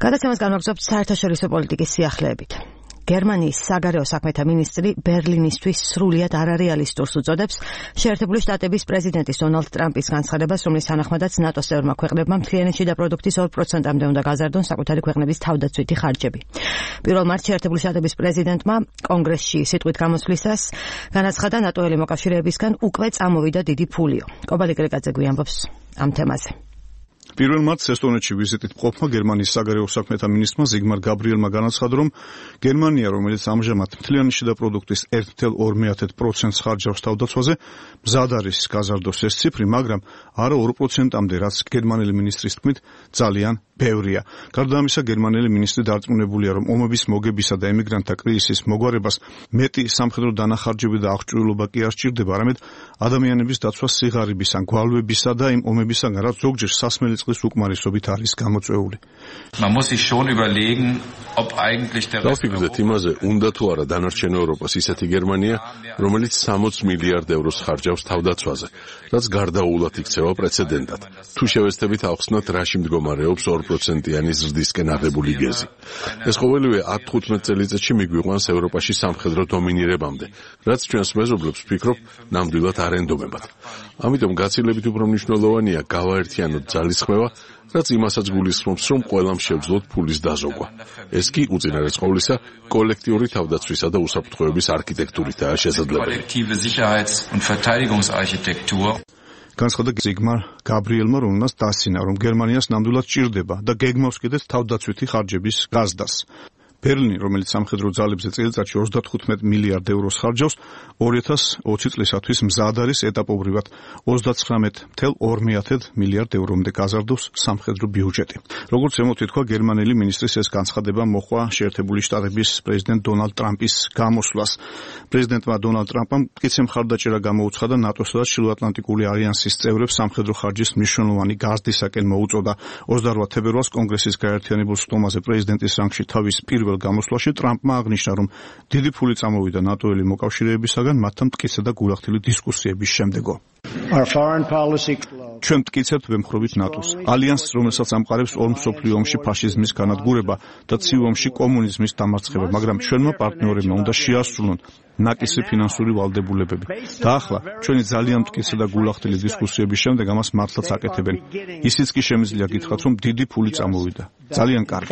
გადაცემას განვაგრძობთ საერთაშორისო პოლიტიკის სიახლეებით. გერმანიის საგარეო საქმეთა მინისტრი ბერლინისთვის სრულიად არარეალისტურს უწოდებს შეერთებული შტატების პრეზიდენტის დონალდ ტრამპის განცხადებას, რომლის თანახმადაც ნატოს წევრმა ქვეყნებმა მთლიანი შიდა პროდუქტის 2%-მდე უნდა გაზარდონ საკუთარი ქვეყნების თავდაცვითი ხარჯები. 1 მარტს შეერთებული შტატების პრეზიდენტმა კონგრესში სიტყვით გამოსვლისას განაცხადა, ნატოელი მოკავშირეებისგან უკვე წამოვიდა დიდი ფულიო. კობალიკ რეკაძე გვიამბობს ამ თემაზე. 1 მარტს ესტონეთში ვიზიტით მყოფმა გერმანიის საგარეო საქმეთა მინისტრმა ზიგმარ გაბრიელმა განაცხადა, რომ გერმანია, რომელიც ამჟამად მთლიანი შიდა პროდუქტის 1,2% ხარჯავს თავდაცვაზე, მზად არის გაზარდოს ეს ციფრი, მაგრამ არა 2%-მდე, რაც გერმანელი მინისტრის თქმით ძალიან ბევრია. გარდა ამისა, გერმანელი მინისტრი დარწმუნებულია, რომ ომების მოგებისა და ემიგრანტთა კრიზისის მოგვარებას მეტი სამხედრო დანახარჯები და აღჭურვილობა კი არ სჭირდება, არამედ ადამიანების დაცვა სიღარიბის ან გვალვებისა და იმ ომებისგან, რაც ზოგჯერ სასმელი წყლის უკმარისობით არის გამოწვეული. დავფიქრდეთ იმაზე, უნდა თუ არა დანარჩენ ევროპას ისეთი გერმანია, რომელიც 60 მილიარდ ევროს ხარჯავს თავდაცვაზე, რაც გარდაუულად იქცევა პრეცედენტად. თუ შევეცდებით ავხსნათ, რაში მდგომარეობს 2%-იანი ზრდისკენ აღებული გეზი. ეს ყოველივე 10-15 წელიწადში მიგვიყვანს ევროპაში სამხედრო დომინირებამდე, რაც ჩვენს მეზობლებს ვფიქრობ, ნამდვილად არ ენდობებათ. ამიტომ გაცილებით უფრო მნიშვნელოვანია გავაერთიანოთ ძალისხმევა, რაც იმასაც გულისხმობს, რომ ყველამ შევძლოთ ფულის დაზოგვა. ეს კი უწინარეს ყოვლისა კოლექტიური თავდაცვისა და უსაფრთხოების არქიტექტურითაა შესაძლებელი. განცხადა ზიგმარ გაბრიელმა, რომელმაც დასცინა, რომ გერმანიას ნამდვილად სჭირდება და გეგმავს კიდეც თავდაცვითი ხარჯების გაზრდას. ბერლინი, რომელიც სამხედრო ძალებზე წელიწადში 35 მილიარდ ევროს ხარჯავს, 2020 წლისათვის მზად არის ეტაპობრივად 39,2 მილიარდ ევრომდე გაზარდოს სამხედრო ბიუჯეტი. როგორც ზემოთ ითქვა, გერმანელი მინისტრის ეს განცხადება მოჰყვა შეერთებული შტატების პრეზიდენტ დონალდ ტრამპის გამოსვლას. პრეზიდენტმა დონალდ ტრამპამ მტკიცე მხარდაჭერა გამოუცხადა ნატოსა და ჩრდილოატლანტიკური ალიანსის წევრებს სამხედრო ხარჯის მნიშვნელოვანი გაზრდისაკენ მოუწოდა. 28 თებერვალს კონგრესის გაერთიანებულ სტომაზე პრეზიდენტის რანგში თავის პირველ გამოსვლაში ტრამპმა აღნიშნა, რომ დიდი ფული წამოვიდა ნატოელი მოკავშირეებისაგან მათთან მტკიცე და გულახდილი დისკუსიების შემდეგო. ჩვენ მტკიცებთ ვემხრობით ნატოს, ალიანსს, რომელსაც ამყარებს ორ მსოფლიო ომში ფაშიზმის განადგურება და ცივ ომში კომუნიზმის დამარცხება, მაგრამ ჩვენმა პარტნიორებმა უნდა შეასრულონ ნაკისი ფინანსური ვალდებულებები. და ახლა ჩვენი ძალიან მტკიცე და გულახდილი დისკუსიების შემდეგ ამას მართლაც აკეთებენ. ისიც კი შემიძლია გითხრათ, რომ დიდი ფული წამოვიდა. ძალიან კარგი.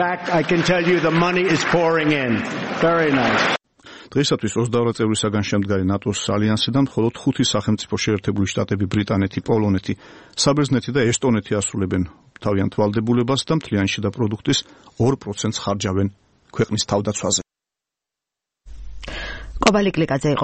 დღეისათვის 22 წევრისაგან შემდგარი ნატოს ალიანსიდან მხოლოდ 5 სახელმწიფო შეერთებული შტატები, ბრიტანეთი, პოლონეთი, საბერძნეთი და ესტონეთი ასრულებენ თავიანთ ვალდებულებას და მთლიანი შიდა პროდუქტის 2% ხარჯავენ ქვეყნის თავდაცვაზე. კობალიკ რეკაძე იყო